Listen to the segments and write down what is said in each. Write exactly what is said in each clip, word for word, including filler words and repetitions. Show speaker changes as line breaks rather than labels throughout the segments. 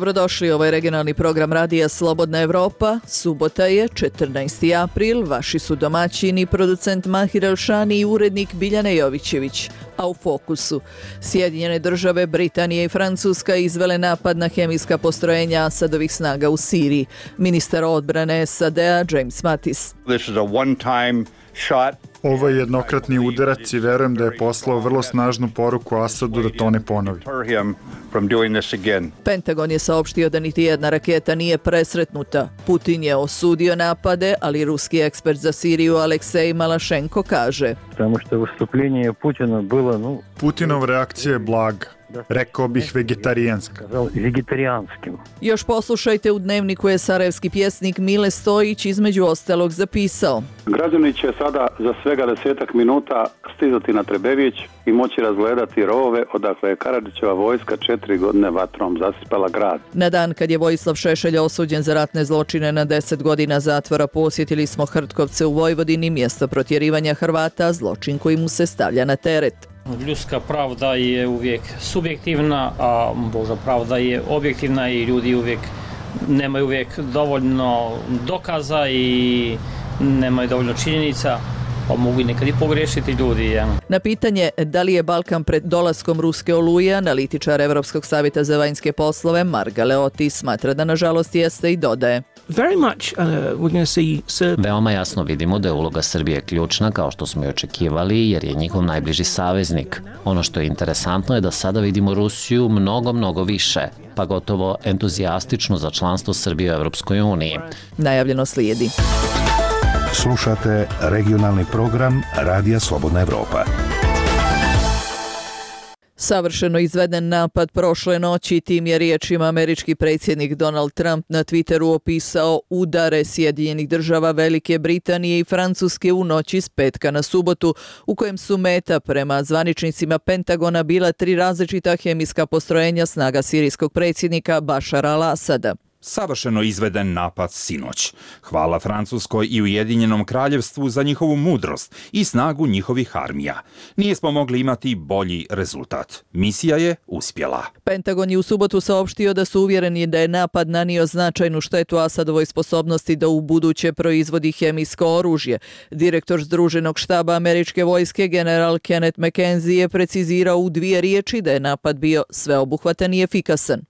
Dobrodošli, ovo je regionalni program radija Slobodna Evropa. Subota je, četrnaesti april, vaši su domaćini, producent Mahir Elšani i urednik Biljana Jovićević. A u fokusu, Sjedinjene države, Britanija i Francuska izvele napad na hemijska postrojenja Asadovih snaga u Siriji. Ministar odbrane S A D-a James Mattis.
Ovo je jednokratni udarac i verujem da je poslao vrlo snažnu poruku Asadu da to ne ponovi.
Pentagon je saopštio da niti jedna raketa nije presretnuta. Putin je osudio napade, ali ruski ekspert za Siriju Aleksej Malašenko kaže:
Putinova reakcija je blaga. Rekao bih vegetarijanska.
Još poslušajte, u dnevniku je sarajevski pjesnik Mile Stojić između ostalog zapisao:
Građani će sada za svega desetak minuta stizati na Trebević i moći razgledati rovove odakle je Karadžićeva vojska četiri godine vatrom zasipala grad.
Na dan kad je Vojislav Šešelj osuđen za ratne zločine na deset godina zatvora, posjetili smo Hrtkovce u Vojvodini, mjesto protjerivanja Hrvata, zločin koji mu se stavlja na teret.
Ljudska pravda je uvijek subjektivna, a Božja pravda je objektivna i ljudi uvijek nemaju uvijek dovoljno dokaza i nemaju dovoljno činjenica, pa mogu i nekad i pogriješiti ljudi. Ja.
Na pitanje da li je Balkan pred dolaskom ruske oluje, analitičar Evropskog savjeta za vanjske poslove Marga Leoti smatra da nažalost jeste i dodaje:
Very much, uh, we're going to see Serb...
Veoma jasno vidimo da je uloga Srbije ključna, kao što smo i očekivali, jer je njihov najbliži saveznik. Ono što je interesantno je da sada vidimo Rusiju mnogo, mnogo više, pa gotovo entuzijastično za članstvo Srbije u Evropskoj uniji.
Najavljeno slijedi.
Slušate regionalni program Radija Slobodna Evropa.
Savršeno izveden napad prošle noći, tim je riječima američki predsjednik Donald Trump na Twitteru opisao udare Sjedinjenih država, Velike Britanije i Francuske u noći s petka na subotu, u kojem su meta prema zvaničnicima Pentagona bila tri različita hemijska postrojenja snaga sirijskog predsjednika Bašara al-Asada.
Savršeno izveden napad sinoć. Hvala Francuskoj i Ujedinjenom kraljevstvu za njihovu mudrost i snagu njihovih armija. Nijesmo mogli imati bolji rezultat. Misija je uspjela.
Pentagon je u subotu saopštio da su uvjereni da je napad nanio značajnu štetu Asadovoj sposobnosti da u buduće proizvodi hemijsko oružje. Direktor Združenog štaba američke vojske general Kenneth McKenzie je precizirao u dvije riječi da je napad bio sveobuhvatan i efikasan.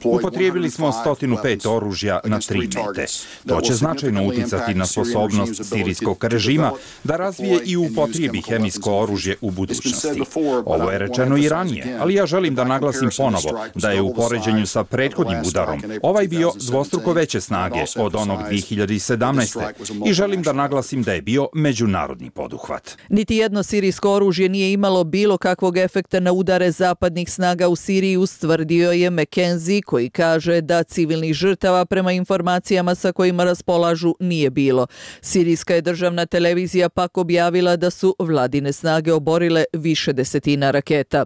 Upotrijebili smo sto pet oružja na tri mete. To će značajno uticati na sposobnost sirijskog režima da razvije i upotrijebi hemijsko oružje u budućnosti. Ovo je rečeno i ranije, ali ja želim da naglasim ponovo da je u poređenju sa prethodnim udarom ovaj bio dvostruko veće snage od onog dvije hiljade sedamnaeste. i želim da naglasim da je bio međunarodni poduhvat.
Niti jedno sirijsko oružje nije imalo bilo kakvog efekta na udare zapadnih snaga u Siriji, ustvrdio je McKenzie, koji kaže da civilnih žrtava prema informacijama sa kojima raspolažu nije bilo. Sirijska je državna televizija pak objavila da su vladine snage oborile više desetina raketa.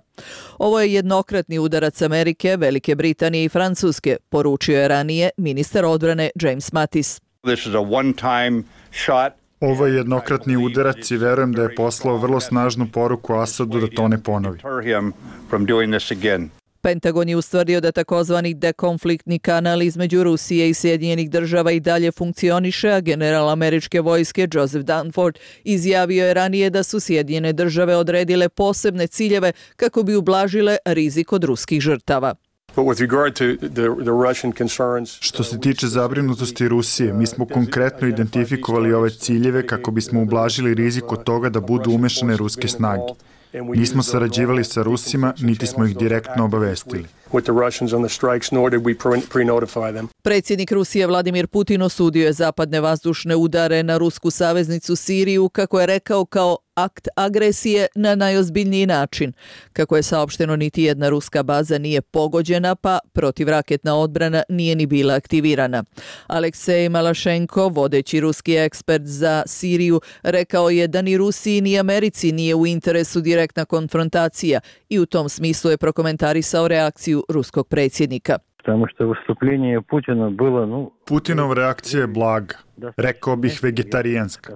Ovo je jednokratni udarac Amerike, Velike Britanije i Francuske, poručio je ranije ministar odbrane James Mattis.
Ovo je jednokratni udarac i verujem da je poslao vrlo snažnu poruku Asadu da to ne ponovi.
Pentagon je ustvrdio da takozvani dekonfliktni kanal između Rusije i Sjedinjenih država i dalje funkcioniše, a general američke vojske Joseph Dunford izjavio je ranije da su Sjedinjene države odredile posebne ciljeve kako bi ublažile rizik od ruskih žrtava.
Što se tiče zabrinutosti Rusije, mi smo konkretno identifikovali ove ciljeve kako bismo ublažili rizik od toga da budu umešane ruske snage. Nismo sarađivali sa Rusima, niti smo ih direktno obavestili.
Predsjednik Rusije Vladimir Putin osudio je zapadne vazdušne udare na rusku saveznicu Siriju, kako je rekao, kao akt agresije na najozbiljniji način. Kako je saopšteno, niti jedna ruska baza nije pogođena, pa protivraketna odbrana nije ni bila aktivirana. Aleksej Malašenko, vodeći ruski ekspert za Siriju, rekao je da ni Rusiji ni Americi nije u interesu direktna konfrontacija i u tom smislu je prokomentarisao reakciju ruskog predsjednika.
Putinova reakcija je blaga. Rekao bih vegetarijanska.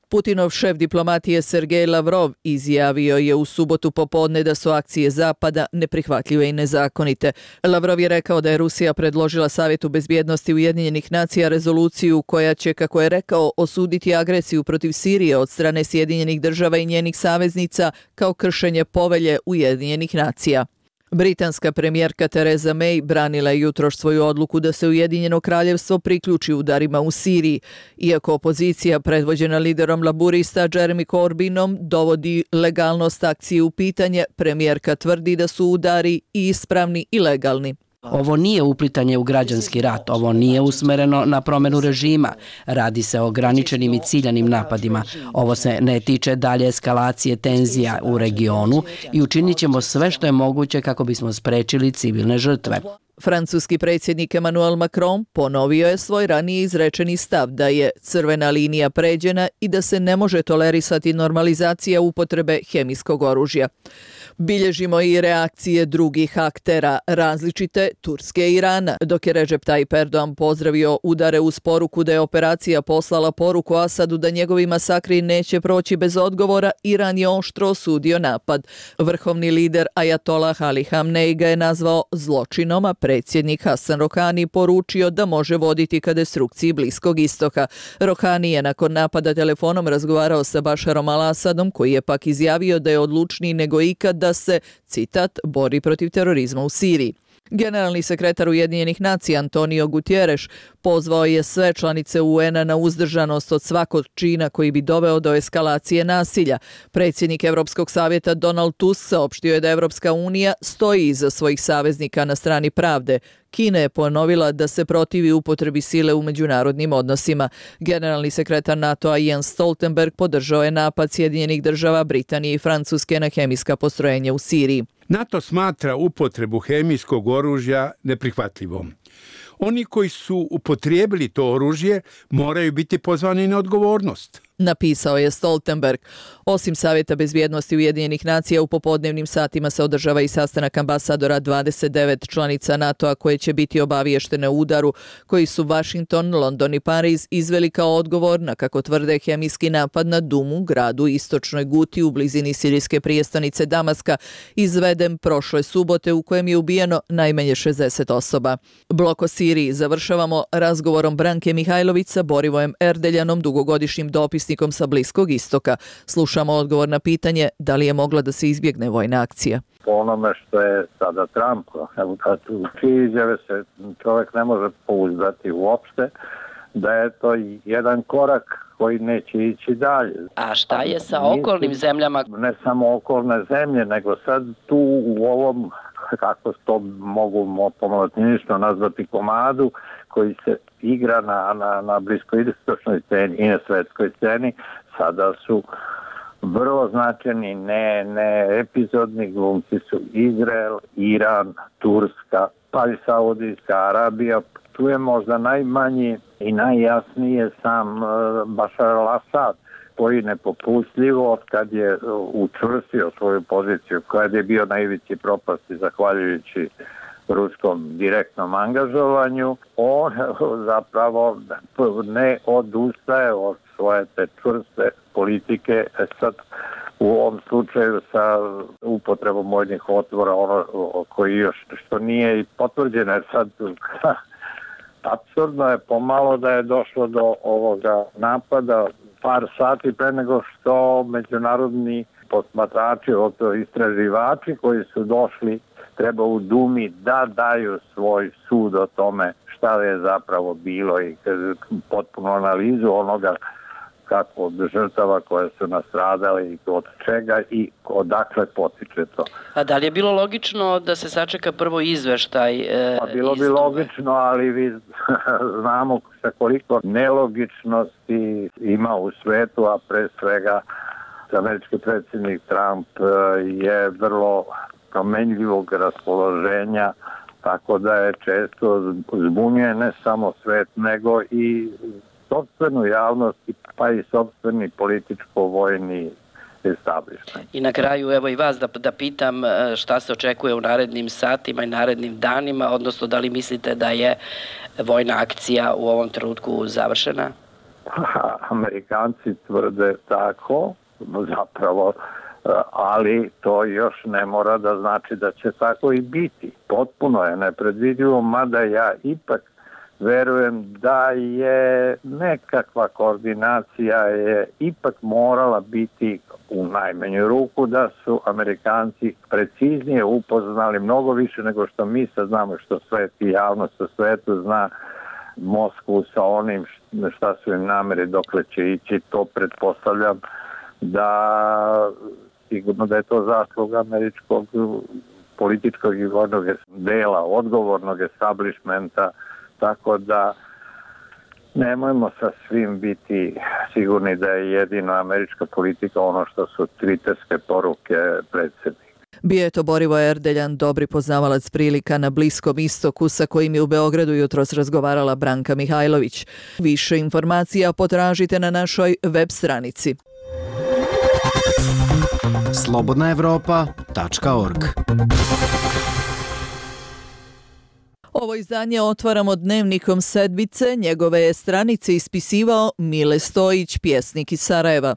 Putinov šef diplomatije Sergej Lavrov izjavio je u subotu popodne da su akcije Zapada neprihvatljive i nezakonite. Lavrov je rekao da je Rusija predložila Savjetu bezbjednosti Ujedinjenih nacija rezoluciju koja će, kako je rekao, osuditi agresiju protiv Sirije od strane Sjedinjenih država i njenih saveznica kao kršenje povelje Ujedinjenih nacija. Britanska premijerka Theresa May branila je jutros svoju odluku da se Ujedinjeno kraljevstvo priključi udarima u Siriji. Iako opozicija predvođena liderom laburista Jeremy Corbynom dovodi legalnost akcije u pitanje, premijerka tvrdi da su udari i ispravni i legalni.
Ovo nije uplitanje u građanski rat, ovo nije usmereno na promjenu režima. Radi se o ograničenim i ciljanim napadima. Ovo se ne tiče dalje eskalacije tenzija u regionu i učinit ćemo sve što je moguće kako bismo sprečili civilne žrtve.
Francuski predsjednik Emmanuel Macron ponovio je svoj ranije izrečeni stav da je crvena linija pređena i da se ne može tolerisati normalizacija upotrebe hemijskog oružja. Bilježimo i reakcije drugih aktera, različite Turske i Irana. Dok je Recep Tayyip Erdogan pozdravio udare uz poruku da je operacija poslala poruku Asadu da njegovi masakri neće proći bez odgovora, Iran je oštro osudio napad. Vrhovni lider Ajatolah Ali Hamnej ga je nazvao zločinom, a predsjednik Hasan Rohani poručio da može voditi ka destrukciji Bliskog istoka. Rohani je nakon napada telefonom razgovarao sa Bašarom al-Asadom, koji je pak izjavio da je odlučniji nego ikad da se, citat, bori protiv terorizma u Siriji. Generalni sekretar Ujedinjenih nacija Antonio Guterres pozvao je sve članice U N-a na uzdržanost od svakog čina koji bi doveo do eskalacije nasilja. Predsjednik Europskog savjeta Donald Tusk saopštio je da Evropska unija stoji iza svojih saveznika na strani pravde. Kina je ponovila da se protivi upotrebi sile u međunarodnim odnosima. Generalni sekretar NATO-a Jens Stoltenberg podržao je napad Sjedinjenih država, Britanije i Francuske na hemijska postrojenja u Siriji.
NATO smatra upotrebu hemijskog oružja neprihvatljivom. Oni koji su upotrijebili to oružje moraju biti pozvani na odgovornost,
napisao je Stoltenberg. Osim Savjeta bezbjednosti Ujedinjenih nacija, u popodnevnim satima se održava i sastanak ambasadora dvadeset devet članica NATO-a koje će biti obaviještene o udaru koji su Washington, London i Pariz izveli kao odgovor na, kako tvrde, hemijski napad na Dumu, gradu u istočnoj Guti u blizini sirijske prijestolnice Damaska, izveden prošle subote u kojem je ubijeno najmanje šezdeset osoba. Blok o Siriji završavamo razgovorom Branke Mihajlović sa Borivojem Erdeljanom, dugogodišnjim dopisnikom sa Bliskog istoka. Slušamo odgovor na pitanje da li je mogla da se izbjegne vojna akcija.
Po onome što je sada Trump, u čije izjave se čovjek ne može pouzdati uopšte, da je to jedan korak koji neće ići dalje.
A šta je sa okolnim zemljama?
Ne samo okolne zemlje, nego sad tu u ovom, kako to mogu pomalotinjično nazvati, komadu koji se igra na, na, na bliskoistočnoj sceni i na svetskoj sceni, sada su vrlo značajni, ne, ne epizodni glumci su Izrael, Iran, Turska, pa i Saudijska Arabija. Tu je možda najmanji i najjasnije sam Bašar al-Asad, koji nepopustljivo od kad je učvrstio svoju poziciju, kad je bio na ivici propasti zahvaljujući ruskom direktnom angažovanju, on zapravo ne odustaje od svoje te čvrste politike. Sad u ovom slučaju sa upotrebom vojnih otvora, ono koji još što nije i potvrđeno, jer sad apsurdno je pomalo da je došlo do ovoga napada par sati pre nego što međunarodni posmatrači, odnosno istraživači koji su došli, treba u Dumi da daju svoj sud o tome šta je zapravo bilo i potpuno analizu onoga kako od žrtava koje su nastradali i od čega i odakle potiče to.
A da li je bilo logično da se sačeka prvo izveštaj? E,
pa bilo bi logično, ali vi znamo sa koliko nelogičnosti ima u svetu, a pre svega američki predsjednik Trump je vrlo promenljivog raspoloženja, tako da je često zbunjuje ne samo svet, nego i sopstvenu javnost, pa i sopstveni političko-vojni establishment.
I na kraju, evo i vas da, da pitam šta se očekuje u narednim satima i narednim danima, odnosno da li mislite da je vojna akcija u ovom trenutku završena?
Amerikanci tvrde tako, zapravo, ali to još ne mora da znači da će tako i biti. Potpuno je nepredvidivo, mada ja ipak verujem da je nekakva koordinacija je ipak morala biti u najmanju ruku, da su Amerikanci preciznije upoznali mnogo više nego što mi sad znamo, što svet i javnost sa svetu zna Moskvu sa onim šta su im namere, dokle će ići. To pretpostavljam da sigurno da je to zasluga američkog političkog i vojnog dela, odgovornog establishmenta, tako da nemojmo sa svim biti sigurni da je jedino američka politika ono što su twitterske poruke predsjednika.
Bio je to Borivoje Erdeljan, dobri poznavalac prilika na Bliskom istoku, sa kojim je u Beogradu jutros razgovarala Branka Mihajlović. Više informacija potražite na našoj web stranici.
slobodna evropa tačka org.
Ovo izdanje otvaramo dnevnikom sedmice. Njegove je stranice ispisivao Mile Stojić, pjesnik iz Sarajeva.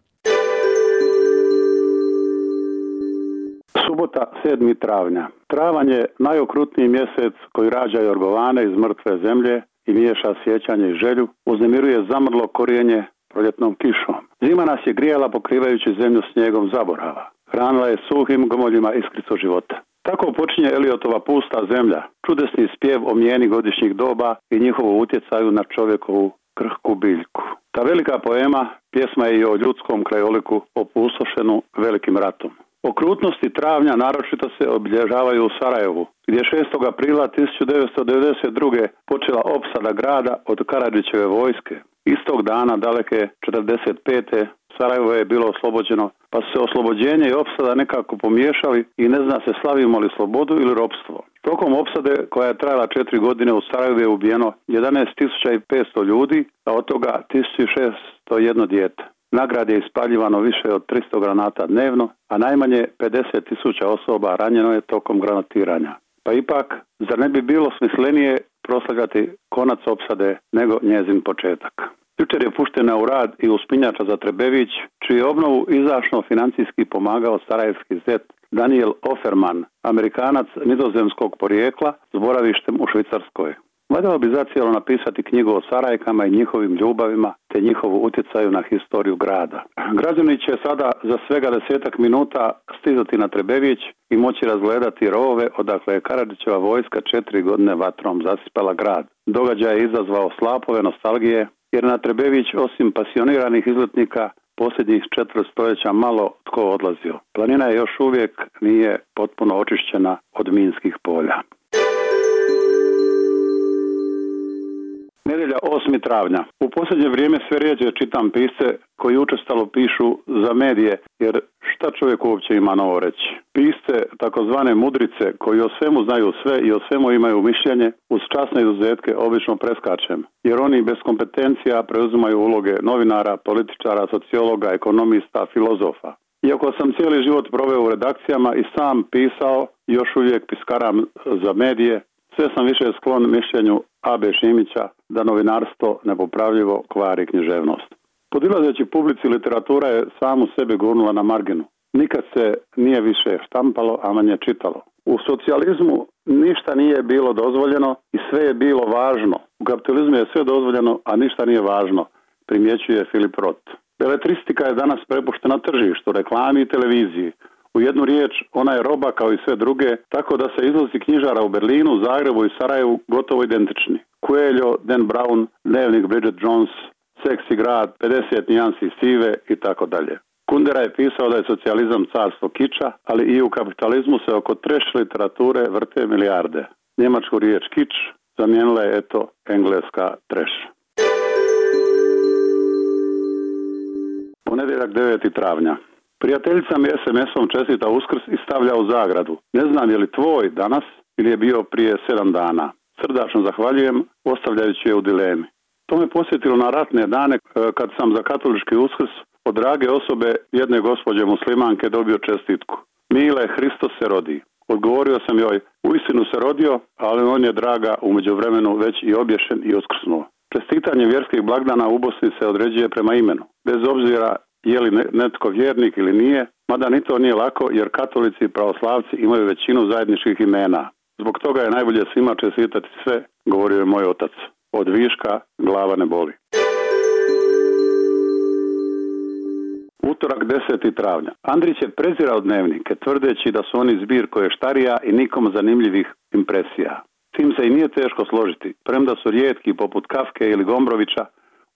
Subota, sedmog travnja. Travanj je najokrutniji mjesec koji rađa jorgovane iz mrtve zemlje i miješa sjećanje i želju, uznemiruje zamrlo korijenje proljetnom kišom. Zima nas je grijala pokrivajući zemlju snijegom zaborava. Hranila je suhim gomoljima iskricu života. Tako počinje Eliotova Pusta zemlja, čudesni spjev o mijeni godišnjih doba i njihovu utjecaju na čovjekovu krhku biljku. Ta velika poema pjesma je i o ljudskom krajoliku opustošenu velikim ratom. Okrutnosti travnja naročito se obilježavaju u Sarajevu, gdje je šestog aprila tisuću devetsto devedeset druge počela opsada grada od Karadžićeve vojske. Istog dana daleke četrdeset pete Sarajevo je bilo oslobođeno, pa su se oslobođenje i opsada nekako pomiješali i ne zna se slavimo li slobodu ili ropstvo. Tokom opsade, koja je trajala četiri godine, u Sarajevu je ubijeno jedanaest tisuća petsto ljudi, a od toga tisuću šesto jedno dijete. Nagrad je ispaljivano više od tristo granata dnevno, a najmanje pedeset tisuća osoba ranjeno je tokom granatiranja. Pa ipak, zar ne bi bilo smislenije proslavljati konac opsade nego njezin početak? Jučer je puštena u rad i uspinjača za Trebević, čiju obnovu izašno financijski pomagao sarajevski zet Daniel Offerman, Amerikanac nizozemskog porijekla s boravištem u Švicarskoj. Valjalo bi zacijelo napisati knjigu o Sarajkama i njihovim ljubavima te njihovu utjecaju na historiju grada. Građani će sada za svega desetak minuta stizati na Trebević i moći razgledati rovove odakle je Karadžićeva vojska četiri godine vatrom zasipala grad. Događaj je izazvao slapove nostalgije, jer na Trebević osim pasioniranih izletnika posljednjih četiri stoljeća malo tko odlazio. Planina je još uvijek nije potpuno očišćena od minskih polja. Nedjelja, osmog travnja. U posljednje vrijeme sve rijeđe čitam pisce koji učestalo pišu za medije, jer šta čovjek uopće ima novo reći? Pisce, takozvane mudrice, koji o svemu znaju sve i o svemu imaju mišljenje, uz časne izuzetke obično preskačem, jer oni bez kompetencija preuzimaju uloge novinara, političara, sociologa, ekonomista, filozofa. Iako sam cijeli život proveo u redakcijama i sam pisao, još uvijek piskaram za medije, sve sam više sklon mišljenju A B Šimića da novinarstvo nepopravljivo kvari književnost. Podilazeći publici, literatura je samu sebe gurnula na marginu. Nikad se nije više štampalo, a manje čitalo. U socijalizmu ništa nije bilo dozvoljeno i sve je bilo važno. U kapitalizmu je sve dozvoljeno, a ništa nije važno, primjećuje Filip Roth. Beletristika je danas prepuštena tržištu, reklami i televiziji. U jednu riječ, ona je roba kao i sve druge, tako da se izlazi knjižara u Berlinu, Zagrebu i Sarajevu gotovo identični. Coelho, Dan Brown, Dnevnik Bridget Jones, Seksi grad, pedeset nijansi sive i tako dalje. Kundera je pisao da je socijalizam carstvo kiča, ali i u kapitalizmu se oko treš literature vrte milijarde. Njemačku riječ kič zamijenila je eto engleska treš. Ponedjeljak, deveti travnja. Prijateljica mi es em esom čestita Uskrs i stavlja u zagradu. Ne znam je li tvoj danas ili je bio prije sedam dana. Srdačno zahvaljujem, ostavljajući je u dilemi. To me posjetilo na ratne dane kad sam za katolički Uskrs od drage osobe jedne gospođe muslimanke dobio čestitku. Mile, Hristos se rodi. Odgovorio sam joj, uistinu se rodio, ali on je draga u međuvremenu već i obješen i uskrsnuo. Čestitanje vjerskih blagdana u Bosni se određuje prema imenu, bez obzira je li netko vjernik ili nije, mada ni to nije lako jer katolici i pravoslavci imaju većinu zajedničkih imena. Zbog toga je najbolje svima čestitati sve, govorio je moj otac. Od viška glava ne boli. Utorak deseti travnja. Andrić je prezirao dnevnike, tvrdeći da su oni zbir koještarija i nikom zanimljivih impresija. S tim se i nije teško složiti, premda su rijetki poput Kafke ili Gombrovića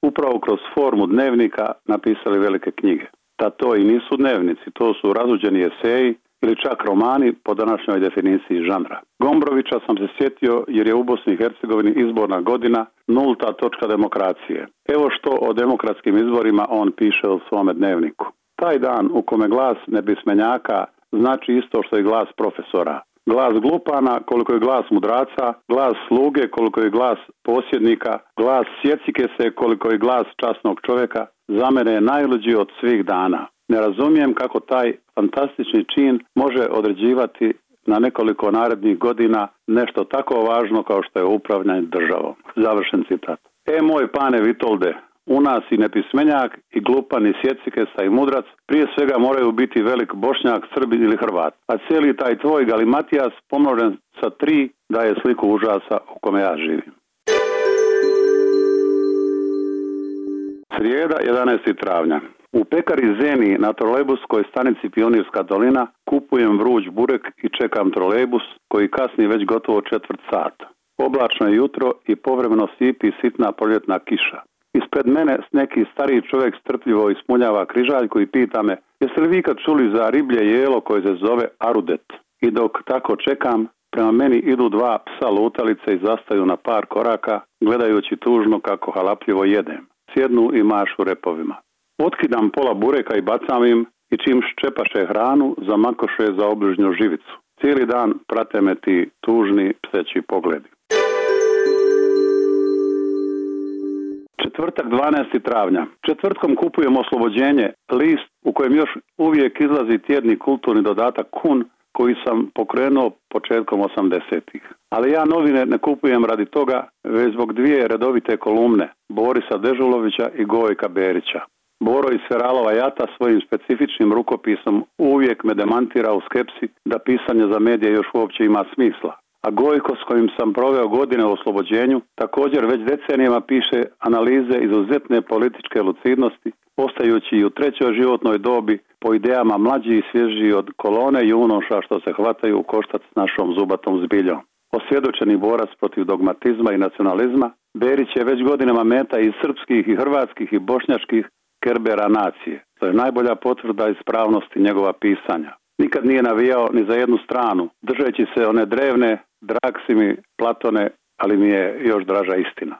upravo kroz formu dnevnika napisali velike knjige. Da to i nisu dnevnici, to su razuđeni eseji ili čak romani po današnjoj definiciji žanra. Gombrovića sam se sjetio jer je u Bosni i Hercegovini izborna godina nulta točka demokracije. Evo što o demokratskim izborima on piše u svome dnevniku. Taj dan u kome glas nepismenjaka znači isto što i glas profesora. Glas glupana koliko je glas mudraca, glas sluge koliko je glas posjednika, glas sjecike se koliko je glas časnog čovjeka, za mene je najluđi od svih dana. Ne razumijem kako taj fantastični čin može određivati na nekoliko narednih godina nešto tako važno kao što je upravljanje državom. Završen citat. E moj pane Vitolde, u nas i nepismenjak, i glupan, i sjecikesa, i mudrac, prije svega moraju biti velik Bošnjak, Srbin ili Hrvat. A cijeli taj tvoj galimatijas pomnožen sa tri daje sliku užasa u kome ja živim. Srijeda, jedanaesti travnja. U pekari Zeni na trolejbuskoj stanici Pionirska dolina kupujem vruć burek i čekam trolejbus koji kasni već gotovo četvrt sata. Oblačno je jutro i povremeno sipi sitna proljetna kiša. Ispred mene neki stariji čovjek strpljivo ismuljava križaljku i pita me: jeste li vi kad čuli za riblje jelo koje se zove arudet? I dok tako čekam, prema meni idu dva psa lutalice i zastaju na par koraka, gledajući tužno kako halapljivo jedem. Sjednu i mašu repovima. Otkidam pola bureka i bacam im i čim ščepaše hranu, zamakoše za obližnju živicu. Cijeli dan prate me ti tužni pseći pogledi. Četvrtak, dvanaesti travnja. Četvrtkom kupujem Oslobođenje, list u kojem još uvijek izlazi tjedni kulturni dodatak Kun, koji sam pokrenuo početkom osamdesetih. Ali ja novine ne kupujem radi toga, već zbog dvije redovite kolumne, Borisa Dežulovića i Gojka Berića. Boro iz Feralova Jata svojim specifičnim rukopisom uvijek me demantira u skepsi da pisanje za medije još uopće ima smisla. A Gojko, s kojim sam proveo godine u Oslobođenju, također već decenijama piše analize izuzetne političke lucidnosti, ostajući i u trećoj životnoj dobi po idejama mlađi i svježiji od kolone junoša što se hvataju u koštac s našom zubatom zbiljom. Osvjedočeni borac protiv dogmatizma i nacionalizma, Berić je već godinama meta i srpskih i hrvatskih i bošnjačkih kerbera nacije. To je najbolja potvrda ispravnosti njegova pisanja. Nikad nije navijao ni za jednu stranu, držeći se one drevne, drag si mi Platone, ali mi je još draža istina.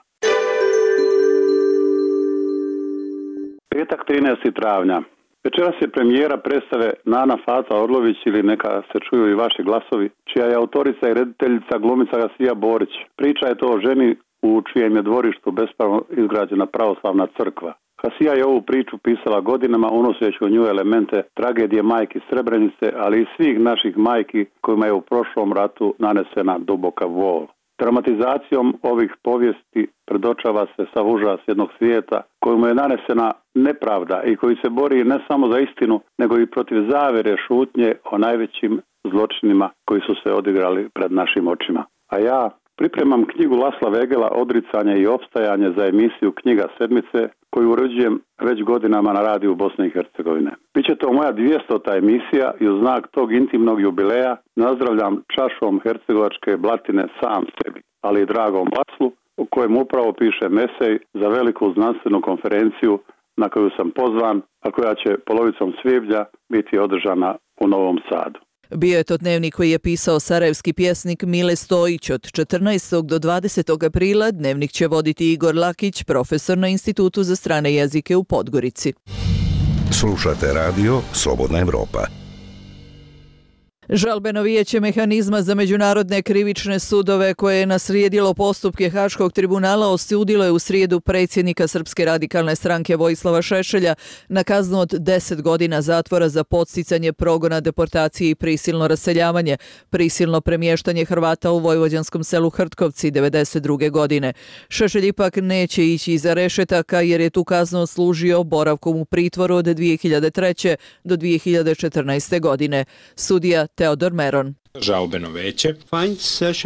Petak, trinaesti travnja. Večeras je premijera predstave Nana Fata Orlović ili Neka se čuju i vaši glasovi, čija je autorica i rediteljica glumica Hasija Borić. Priča je to o ženi u čijem je dvorištu bespravno izgrađena pravoslavna crkva. Hasija je ovu priču pisala godinama, unoseći u nju elemente tragedije majki Srebrenice, ali i svih naših majki kojima je u prošlom ratu nanesena duboka bol. Dramatizacijom ovih povijesti predočava se sav užas jednog svijeta kojemu je nanesena nepravda i koji se bori ne samo za istinu, nego i protiv zavere šutnje o najvećim zločinima koji su se odigrali pred našim očima. A ja pripremam knjigu Lasla Vegela Odricanje i opstajanje za emisiju Knjiga sedmice, koju uređujem već godinama na radiju Bosne i Hercegovine. Biće to moja dvijestota emisija i u znak tog intimnog jubileja nazdravljam čašom hercegovačke blatine sam sebi, ali i dragom Laslu, u kojem upravo piše mesej za veliku znanstvenu konferenciju na koju sam pozvan, a koja će polovicom svibnja biti održana u Novom Sadu.
Bio je to dnevnik koji je pisao sarajevski pjesnik Mile Stojić. Od četrnaestog do dvadesetog aprila dnevnik će voditi Igor Lakić, profesor na Institutu za strane jezike u Podgorici.
Slušate radio Slobodna Evropa.
Žalbeno vijeće mehanizma za međunarodne krivične sudove koje je naslijedilo postupke Haškog tribunala osudilo je u srijedu predsjednika Srpske radikalne stranke Vojislava Šešelja na kaznu od deset godina zatvora za podsticanje progona, deportacije i prisilno raseljavanje, prisilno premještanje Hrvata u vojvođanskom selu Hrtkovci devedeset druge godine. Šešelj ipak neće ići iza rešetaka jer je tu kaznu služio boravkom u pritvoru od dvije hiljade treće do dvije hiljade četrnaeste godine. Sudija Teodor Meron.
Žalbeno veće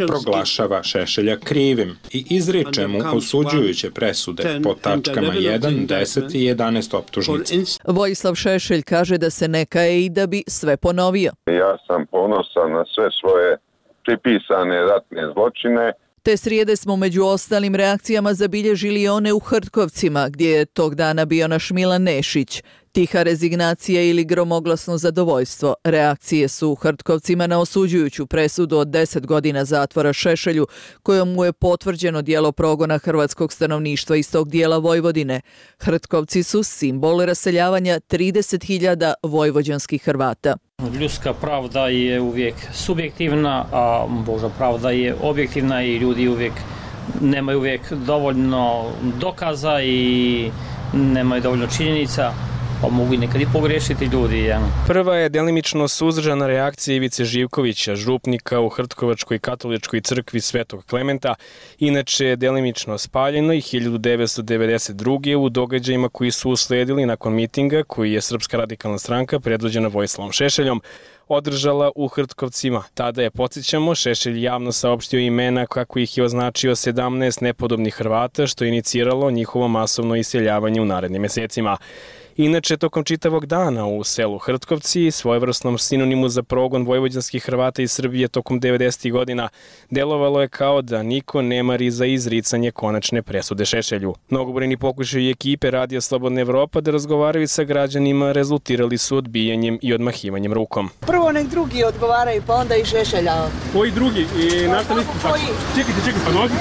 proglašava Šešelja krivim i izriče mu osuđujuće presude po tačkama jedan, deset i jedanaest optužnice.
Vojislav Šešelj kaže da se ne kaje i da bi sve ponovio.
Ja sam ponosan na sve svoje pripisane ratne zločine.
Te srijede smo među ostalim reakcijama zabilježili one u Hrtkovcima, gdje je tog dana bio naš Milan Nešić. Tiha rezignacija ili gromoglasno zadovoljstvo. Reakcije su u Hrtkovcima na osuđujuću presudu od deset godina zatvora Šešelju, kojom mu je potvrđeno djelo progona hrvatskog stanovništva iz tog dijela Vojvodine. Hrtkovci su simbol raseljavanja trideset hiljada vojvođanskih Hrvata.
Ljudska pravda je uvijek subjektivna, a Božja pravda je objektivna i ljudi uvijek nemaju uvijek dovoljno dokaza i nemaju dovoljno činjenica. Pa mogu i nekad i pogrešiti ljudi. Ja.
Prva je delimično suzdržana reakcija Ivice Živkovića, župnika u Hrtkovačkoj katoličkoj crkvi Svetog Klementa, inače delimično spaljeno i hiljadu devetsto devedeset druge u događajima koji su usledili nakon mitinga koji je Srpska radikalna stranka predvođena Vojislavom Šešeljom održala u Hrtkovcima. Tada je, podsjećamo, Šešelj javno saopštio imena kako ih je označio sedamnaest nepodobnih Hrvata, što je iniciralo njihovo masovno iseljavanje u narednim mesecima. Inače, tokom čitavog dana u selu Hrtkovci, svojevrsnom sinonimu za progon vojvođanskih Hrvata iz Srbije tokom devedesetih godina, delovalo je kao da niko ne mari za izricanje konačne presude Šešelju. Mnogobrojni pokušaji i ekipe Radija Slobodna Evropa da razgovaraju sa građanima rezultirali su odbijanjem i odmahivanjem rukom.
Prvo nek drugi odgovaraju, pa onda i Šešelja.
Koji drugi? I na šta mislite tako? Čekajte, čekajte, pa nogi.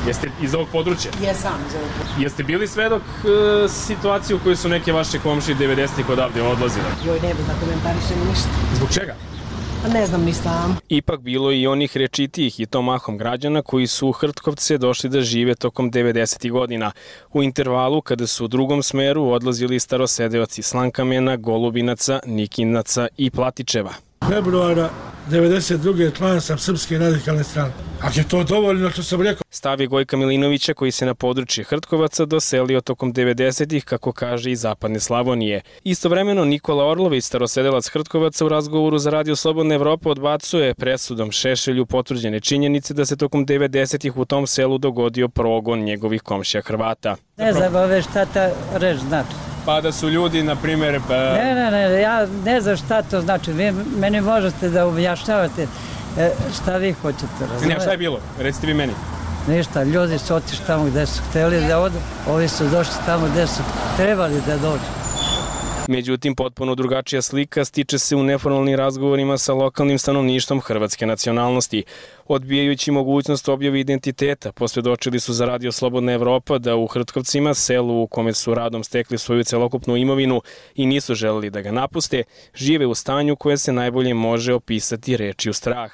Jeste iz ovog područja?
Jesam iz ovog područja.
Jeste bili svedok e, situacije u kojoj su neke vaše komšije devedesetih odavde odlazile?
Joj, ne bi da komentarišem ništa.
Zbog čega?
Pa ne znam ni sam.
Ipak bilo i onih rečitijih i to mahom građana koji su u Hrtkovce došli da žive tokom devedesetih godina. U intervalu kada su u drugom smeru odlazili starosedeoci Slankamena, Golubinaca, Nikinaca i Platičeva.
Februara devedeset druge član sam Srpske radikalne stranke. Ako je to dovoljno što sam rekao.
Stav je Gojka Milinovića koji se na područje Hrtkovaca doselio tokom devedesetih, kako kaže, iz zapadne Slavonije. Istovremeno Nikola Orlović, starosedelac Hrtkovaca, u razgovoru za Radio Slobodna Evropa odbacuje presudom Šešelju potvrđene činjenice da se tokom devedesetih u tom selu dogodio progon njegovih komšija Hrvata.
Ne znam ove šta ta reč znači.
Pa da su ljudi, na primjer... Pa...
Ne, ne, ne, ja ne znam šta to znači. Vi meni možete da objašnjavate šta vi hoćete, razumijete?
Ne, šta je bilo? Recite vi meni.
Ništa, ljudi su otišli tamo gde su htjeli da odu, ovi su došli tamo gde su trebali da dođu.
Međutim, potpuno drugačija slika stiče se u neformalnim razgovorima sa lokalnim stanovništvom hrvatske nacionalnosti. Odbijajući mogućnost objave identiteta, posvjedočili su za Radio Slobodna Evropa da u Hrtkovcima, selu u kome su radom stekli svoju celokupnu imovinu i nisu želeli da ga napuste, žive u stanju koje se najbolje može opisati rečju strah.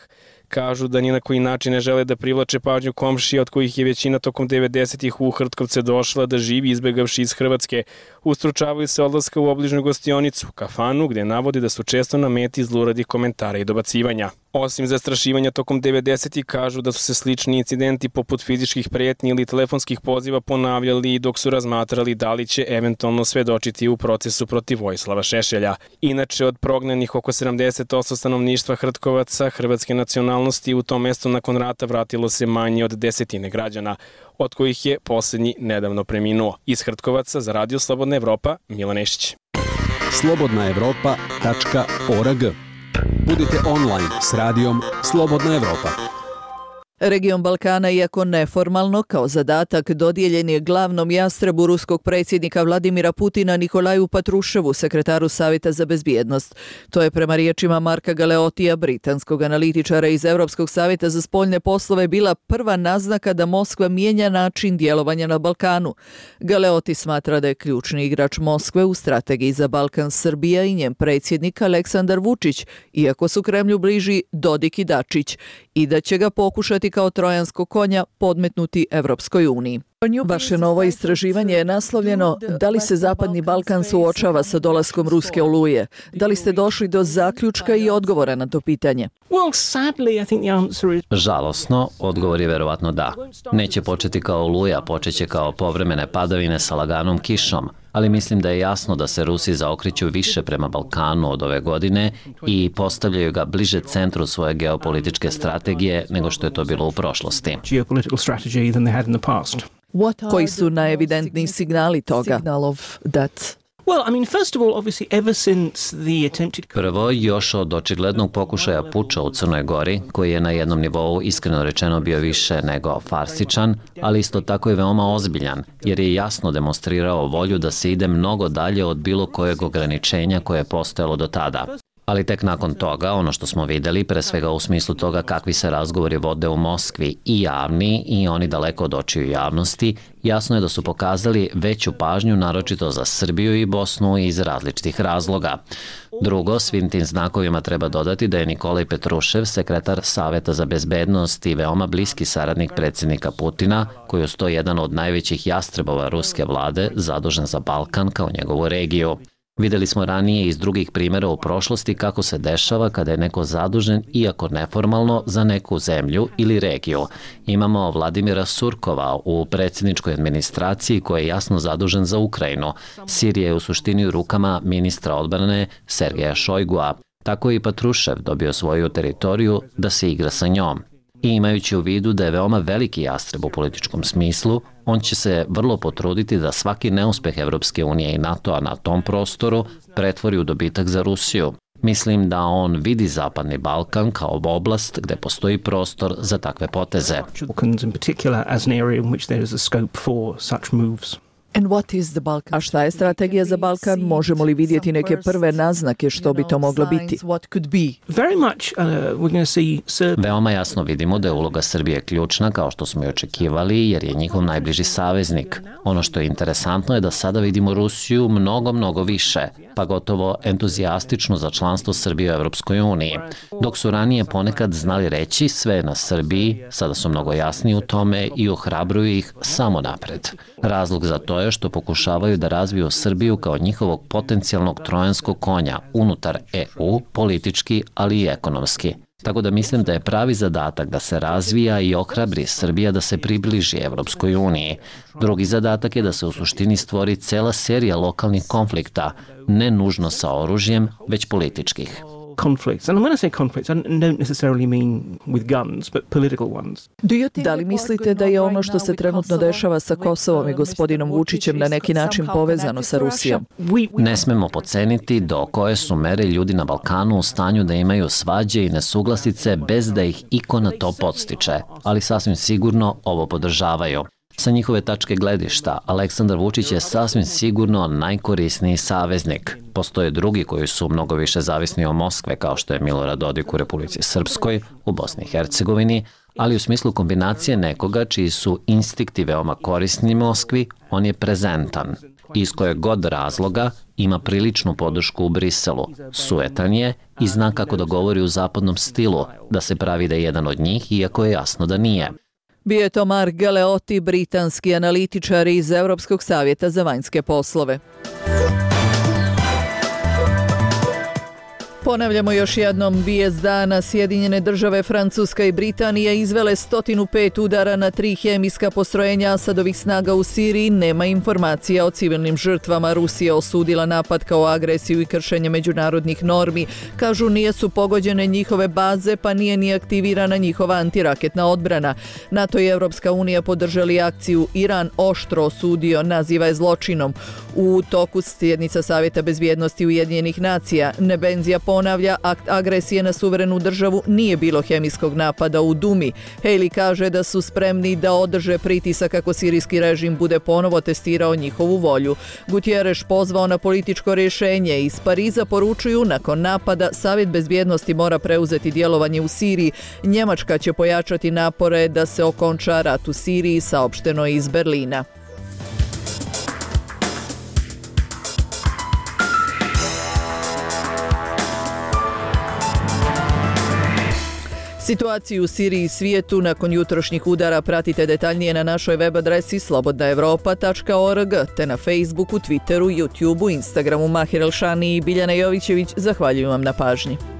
Kažu da ni na koji način ne žele da privlače pažnju komšija od kojih je većina tokom devedesetih u Hrtkovce došla da živi izbegavši iz Hrvatske. Ustručavaju se odlaska u obližnju gostionicu, kafanu, gde navodi da su često na meti zluradih komentara i dobacivanja. Osim zastrašivanja tokom devedesetih, kažu da su se slični incidenti poput fizičkih pretnji ili telefonskih poziva ponavljali dok su razmatrali da li će eventualno svedočiti u procesu protiv Vojislava Šešelja. Inače, od prognanih oko sedamdeset posto stanovništva Hrtkovaca hrvatske nacionalnosti u tom mestu nakon rata vratilo se manje od desetine građana, od kojih je posljednji nedavno preminuo. Iz Hrtkovaca za Radio Slobodna Evropa, Milan Nešić.
slobodna evropa tačka org. Budite online s radijom Slobodna Evropa.
Region Balkana, iako neformalno, kao zadatak dodijeljen je glavnom jastrebu ruskog predsjednika Vladimira Putina Nikolaju Patruševu, sekretaru Savjeta za bezbjednost. To je prema riječima Marka Galeotija, britanskog analitičara iz Europskog savjeta za spoljne poslove, bila prva naznaka da Moskva mijenja način djelovanja na Balkanu. Galeoti smatra da je ključni igrač Moskve u strategiji za Balkan Srbija i njen predsjednik Aleksandar Vučić, iako su Kremlju bliži Dodik i Dačić, i da će ga pokušati kao trojanskog konja podmetnuti Evropskoj uniji. Vaše novo istraživanje je naslovljeno Da li se Zapadni Balkan suočava sa dolaskom ruske oluje? Da li ste došli do zaključka i odgovora na to pitanje?
Žalosno, odgovor je verovatno da. Neće početi kao oluja, počeće kao povremene padavine sa laganom kišom, ali mislim da je jasno da se Rusi zaokreću više prema Balkanu od ove godine i postavljaju ga bliže centru svoje geopolitičke strategije nego što je to bilo u prošlosti.
Koji su najevidentniji signali toga?
Prvo, još od očiglednog pokušaja puča u Crnoj Gori, koji je na jednom nivou iskreno rečeno bio više nego farsičan, ali isto tako i veoma ozbiljan, jer je jasno demonstrirao volju da se ide mnogo dalje od bilo kojeg ograničenja koje je postojalo do tada. Ali tek nakon toga, ono što smo videli, pre svega u smislu toga kakvi se razgovori vode u Moskvi, i javni i oni daleko od očiju javnosti, jasno je da su pokazali veću pažnju naročito za Srbiju i Bosnu iz različitih razloga. Drugo, svim tim znakovima treba dodati da je Nikolaj Petrušev, sekretar Saveta za bezbednost i veoma bliski saradnik predsjednika Putina, koji je sto jedan od najvećih jastrebova ruske vlade, zadužen za Balkan kao njegovu regiju. Videli smo ranije iz drugih primjera u prošlosti kako se dešava kada je neko zadužen, iako neformalno, za neku zemlju ili regiju. Imamo Vladimira Surkova u predsjedničkoj administraciji koji je jasno zadužen za Ukrajinu. Sirija je u suštini u rukama ministra odbrane Sergeja Šojgua. Tako je i Patrušev dobio svoju teritoriju da se igra sa njom. I imajući u vidu da je veoma veliki jastreb u političkom smislu, on će se vrlo potruditi da svaki neuspeh Evropske unije i NATO-a na tom prostoru pretvori u dobitak za Rusiju. Mislim da on vidi Zapadni Balkan kao oblast gde postoji prostor za takve poteze.
A šta je strategija za Balkan? Možemo li vidjeti neke prve naznake što bi to moglo biti?
Veoma jasno vidimo da je uloga Srbije ključna, kao što smo i očekivali, jer je njihov najbliži saveznik. Ono što je interesantno je da sada vidimo Rusiju mnogo, mnogo više, pa gotovo entuzijastično za članstvo Srbije u Evropskoj uniji. Dok su ranije ponekad znali reći sve je na Srbiji, sada su mnogo jasniji u tome i ohrabruju ih samo napred. Razlog za to je što pokušavaju da razviju Srbiju kao njihovog potencijalnog trojanskog konja unutar E U, politički, ali i ekonomski. Tako da mislim da je pravi zadatak da se razvija i ohrabri Srbija da se približi Evropskoj uniji. Drugi zadatak je da se u suštini stvori cela serija lokalnih konflikta, ne nužno sa oružjem, već političkih.
conflicts. And when I say conflicts, I don't necessarily mean with guns, but political ones.
Da li mislite da je ono što se trenutno dešava sa Kosovom i gospodinom Vučićem na neki način povezano sa Rusijom?
Ne smemo podceniti do koje su mere ljudi na Balkanu u stanju da imaju svađe i nesuglasice bez da ih iko na to podstiče, ali sasvim sigurno ovo podržavaju. Sa njihove tačke gledišta, Aleksandar Vučić je sasvim sigurno najkorisniji saveznik. Postoje drugi koji su mnogo više zavisni od Moskve, kao što je Milorad Dodik u Republici Srpskoj, u Bosni i Hercegovini, ali u smislu kombinacije nekoga čiji su instinkti veoma korisni Moskvi, on je prezentan. Iz kojeg god razloga ima priličnu podršku u Briselu, sujetan je i zna kako da govori u zapadnom stilu, da se pravi da je jedan od njih, iako je jasno da nije.
Bio je to Mark Galeotti, britanski analitičar iz Europskog savjeta za vanjske poslove. Ponavljamo još jednom, vijest dana. Sjedinjene države, Francuska i Britanija izvele sto pet udara na tri hemijska postrojenja Asadovih snaga u Siriji. Nema informacija o civilnim žrtvama. Rusija osudila napad kao agresiju i kršenje međunarodnih normi. Kažu nije su pogođene njihove baze, pa nije ni aktivirana njihova antiraketna odbrana. NATO i Evropska unija podržali akciju. Iran oštro osudio, naziva je zločinom. U toku sjednica Savjeta bezbjednosti Ujedinjenih nacija, Nebenzija ponavlja, akt agresije na suverenu državu nije bilo hemijskog napada u Dumi. Haley kaže da su spremni da održe pritisak kako sirijski režim bude ponovo testirao njihovu volju. Gutierrez pozvao na političko rješenje. Iz Pariza poručuju, nakon napada Savjet bezbjednosti mora preuzeti djelovanje u Siriji. Njemačka će pojačati napore da se okonča rat u Siriji, saopšteno je iz Berlina. Situaciju u Siriji i svijetu nakon jutrošnjih udara pratite detaljnije na našoj web adresi slobodna evropa tačka org te na Facebooku, Twitteru, YouTubeu, Instagramu. Mahir Elšani i Biljana Jovićević zahvaljuju vam na pažnji.